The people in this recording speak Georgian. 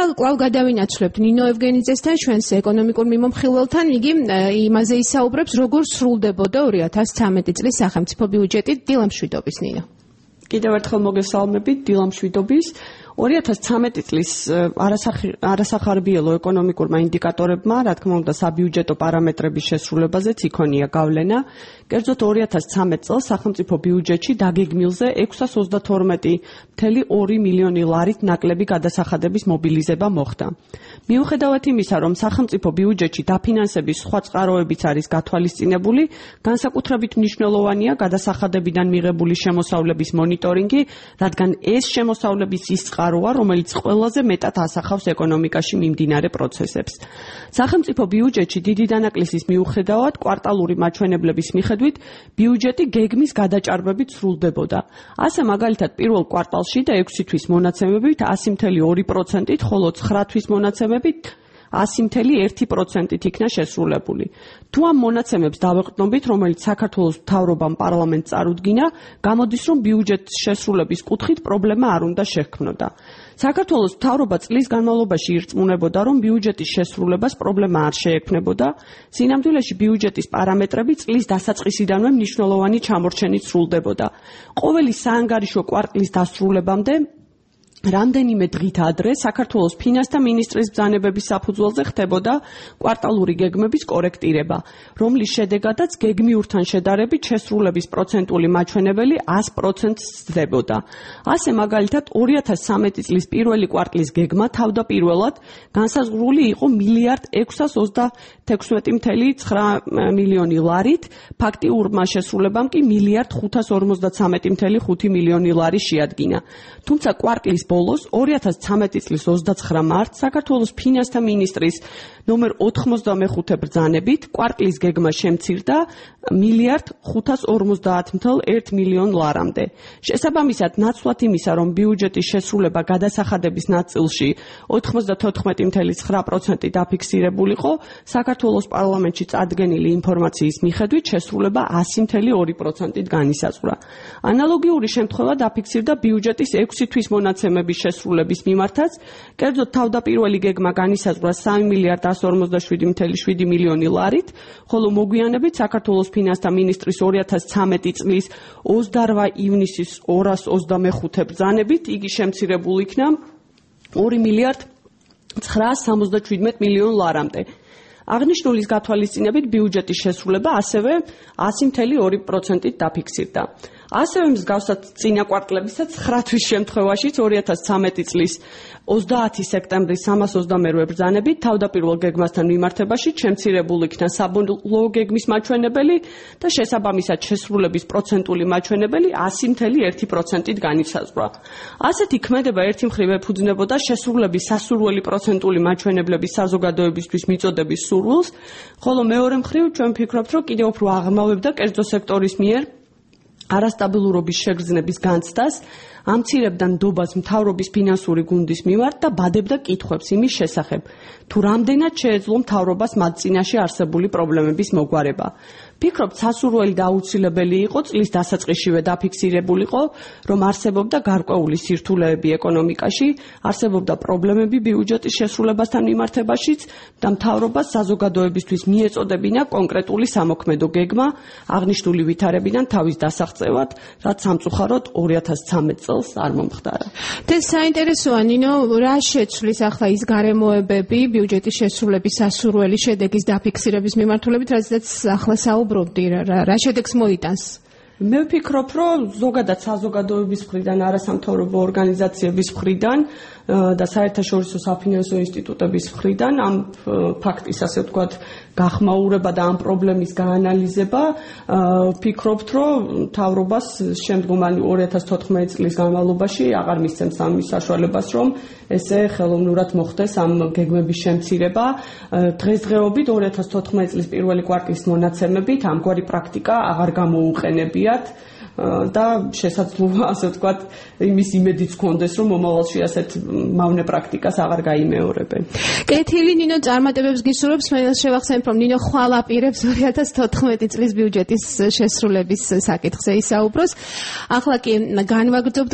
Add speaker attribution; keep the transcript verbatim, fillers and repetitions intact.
Speaker 1: კვლავ გადავინაცვლებთ ნინო ევგენიძესთან, ჩვენს ეკონომიკურ მიმომხილველთან. იგი იმაზე ისაუბრებს, როგორ სრულდებოდა ორი ათას ცხრამეტი წლის სახელმწიფო ბიუჯეტი. დილა მშვიდობის, ნინო.
Speaker 2: კიდევ ერთხელ მოგესალმებით, დილა მშვიდობის. ორი ათას ცხრამეტი წლის არასახარბიელო ეკონომიკურმა ინდიკატორებმა, რა თქმა უნდა, საბიუჯეტო პარამეტრების შესრულებაზეც იქონია გავლენა. კერძოდ ორი ათას ცხრამეტ წელს სახელმწიფო ბიუჯეტში დაგეგმილზე ექვსას ოცდათორმეტი კoma ორი მილიონი ლარით ნაკლები გადასახადების მობილიზება მოხდა. მიუხედავად იმისა, რომ სახელმწიფო ბიუჯეტში დაფინანსების სხვა წყაროებიც არის გათვალისწინებული, განსაკუთრებით მნიშვნელოვანია გადასახადებიდან მიღებული შემოსავლების მონიტორინგი, რადგან ეს შემოსავლების ის წყაროა, რომელიც ყველაზე მეტად ასახავს ეკონომიკაში მიმდინარე პროცესებს. სახელმწიფო ბიუჯეტში დიდი დანაკლისის მიუხედავად, კვარტალური მაჩვენებლების მიხედვით, ბიუჯეტი გეგმის გადაჭარბებით სრულდებოდა. ასე მაგალითად, პირველ კვარტალში და ექვსი თვის მონაცემებით ასი კoma ორი პროცენტით, ხოლო ცხრა თვის მონაცემებით ასი კoma ერთი პროცენტით იქნა შესრულებული. თუ ამ მონაცემებს დავეყრდნობით, რომელიც საქართველოს მთავრობამ პარლამენტს წარუდგინა, გამოდის, რომ ბიუჯეტის შესრულების კუთხით პრობლემა არ უნდა შექმნოდა. საქართველოს მთავრობა წლის განმავლობაში ირწმუნებოდა, რომ ბიუჯეტის შესრულებას პრობლემა არ შეექმნებოდა. სინამდვილეში ბიუჯეტის პარამეტრები წლის დასაწყისიდანვე მნიშვნელოვანი ჩამორჩენით სრულდებოდა. ყოველი საანგარიშო კვარტლის დასრულებამდე რამდენიმე დღით ადრე საქართველოს ფინანსთა მინისტრის ბრძანებების საფუძველზე ხდებოდა კვარტალური გეგმების კორექტირება, რომლის შედეგადაც გეგმიურთან შედარებით შესრულების პროცენტული მაჩვენებელი ას პროცენტს სძდებოდა. ასე მაგალითად ორი ათას ცხრამეტი წლის პირველი კვარტლის გეგმა თავდაპირველად განსაზღვრული იყო მილიარდ ექვსას ოცდათექვსმეტი კoma ცხრა მილიონი ლარით, ფაქტიურმა შესრულებამ კი მილიარდ ხუთას ორმოცდათვრამეტი კoma ხუთი მილიონი ლარი შეადგინა. თუმცა კვარტლის ბოლოს ორი ათას ცხრამეტი წლის ოცდაცხრა მარტს საქართველოს ფინანსთა მინისტრის ნომერ ოთხმოცდამეხუთე ბრძანებით კვარტლის გეგმა შემცირდა მილიარდ ხუთას ორმოცდაათ კoma ერთ მილიონ ლარამდე. შესაბამისად, ნაცვლად იმისა, რომ ბიუჯეტის შესრულება გადასახადების ნაწილში ოთხმოცდათოთხმეტი კoma ცხრა პროცენტი დაფიქსირებულიყო, საქართველოს პარლამენტში წარდგენილი ინფორმაციის მიხედვით შესრულება ასი კoma ორი პროცენტით განისაზღვრა. ანალოგიური შემთხვევა დაფიქსირდა ბიუჯეტის ექვსი თვის მონაცემების შესრულების მიმართაც, კერძოდ თავდაპირველი გეგმა განისაზღვრა სამი მილიარდ ასი ორმოცდაშვიდი კoma შვიდი მილიონი ლარით, ხოლო მოგვიანებით საქართველოს ფინანსთა მინისტრის ორი ათას ცხრამეტი წლის ოცდარვა ივნისის ორას ოცდამეხუთე ბრძანებით იგი შემცირებული იქნა ორი მილიარდ ცხრაას სამოცდაშვიდმეტ მილიონ ლარამდე. აღნიშნულის გათვალისწინებით ბიუჯეტის შესრულება ასევე ასი კoma ორი პროცენტით დაფიქსირდა. ასევე მსგავსად წინა კვარტლებისა ცხრა თვის შემთხვევაშიც ორი ათას ცხრამეტი წლის ოცდაათი სექტემბრის სამას ოცდამერვე ბრძანებით თავდაპირველ გეგმასთან მიმართებაში შემცირებული იქნა საბოლოო გეგმის მაჩვენებელი და შესაბამისად შესრულების პროცენტული მაჩვენებელი ასი კoma ერთი პროცენტით განისაზღვრა. ასეთი ქმედება ერთი მხრივ ეფუძნებოდა შესრულების სასურველი პროცენტული მაჩვენებლების საზოგადოებისთვის მიწოდების სურვილს, ხოლო მეორე მხრივ ჩვენ ვფიქრობთ, რომ კიდევ უფრო აღრმავებდა კერძო სექტორის მიერ არასტაბილურობის შეგრძნების განცდას, ამცირებდა ნდობას მთავრობის ფინანსური გუნდის მიმართ და ბადებდა კითხვებს იმის შესახებ, თუ რამდენად შეეძლო მთავრობას მათ წინაშე არსებული პრობლემების მოგვარება. ვფიქრობ, სასურველი და აუცილებელი იყო წლის დასაწყისშივე დაფიქსირებულიყო, რომ არსებობდა გარკვეული სირთულეები ეკონომიკაში, არსებობდა პრობლემები ბიუჯეტის შესრულებასთან მიმართებაშიც და მთავრობას საზოგადოებისთვის მიეწოდებინა კონკრეტული სამოქმედო გეგმა აღნიშნული ვითარებიდან თავის დასაღწევად, რაც სამწუხაროდ ორი ათას ცხრამეტ წელს არ მომხდარა.
Speaker 1: ეს საინტერესოა, ნინო, რა შეცვლის ახლა ის გარემოებები ბიუჯეტის შესრულების სასურველი შედეგის დაფიქსირების მიმართულებით, რაზეც ახლა საუბრობდი, რა შედეგს მოიტანს?
Speaker 2: მე ვფიქრობ, რომ ზოგადად საზოგადოების მხრიდან, არასამთავრობო ორგანიზაციების მხრიდან და საერთაშორისო საფინანსო ინსტიტუტების მხრიდან ამ ფაქტის, ასე ვთქვათ, გახმაურება და ამ პრობლემის გაანალიზება, ვფიქრობთ, რომ მთავრობას შემდგომი ორი ათას თოთხმეტი წლის განმავლობაში აღარ მისცემს ამის საშუალებას, რომ ესე ხელოვნურად მოხდეს ამ გეგმების შემცირება. დღესდღეობით ორი ათას თოთხმეტი წლის პირველი კვარტლის მონაცემებით ამგვარი პრაქტიკა აღარ გამოუყენებიათ და შესაძლოა, ასე ვთქვათ, იმის იმედიც გქონდეს, რომ მომავალში ასეთ მავნე პრაქტიკას აღარ გაიმეორებენ.
Speaker 1: კეთილი, ნინო, წარმატებებს გისურვებს. მე შევახსენებ, რომ ნინო ხვალ აპირებს ორი ათას თოთხმეტი წლის ბიუჯეტის შესრულების საკითხზე ისაუბროს. ახლა კი განვაგრძობთ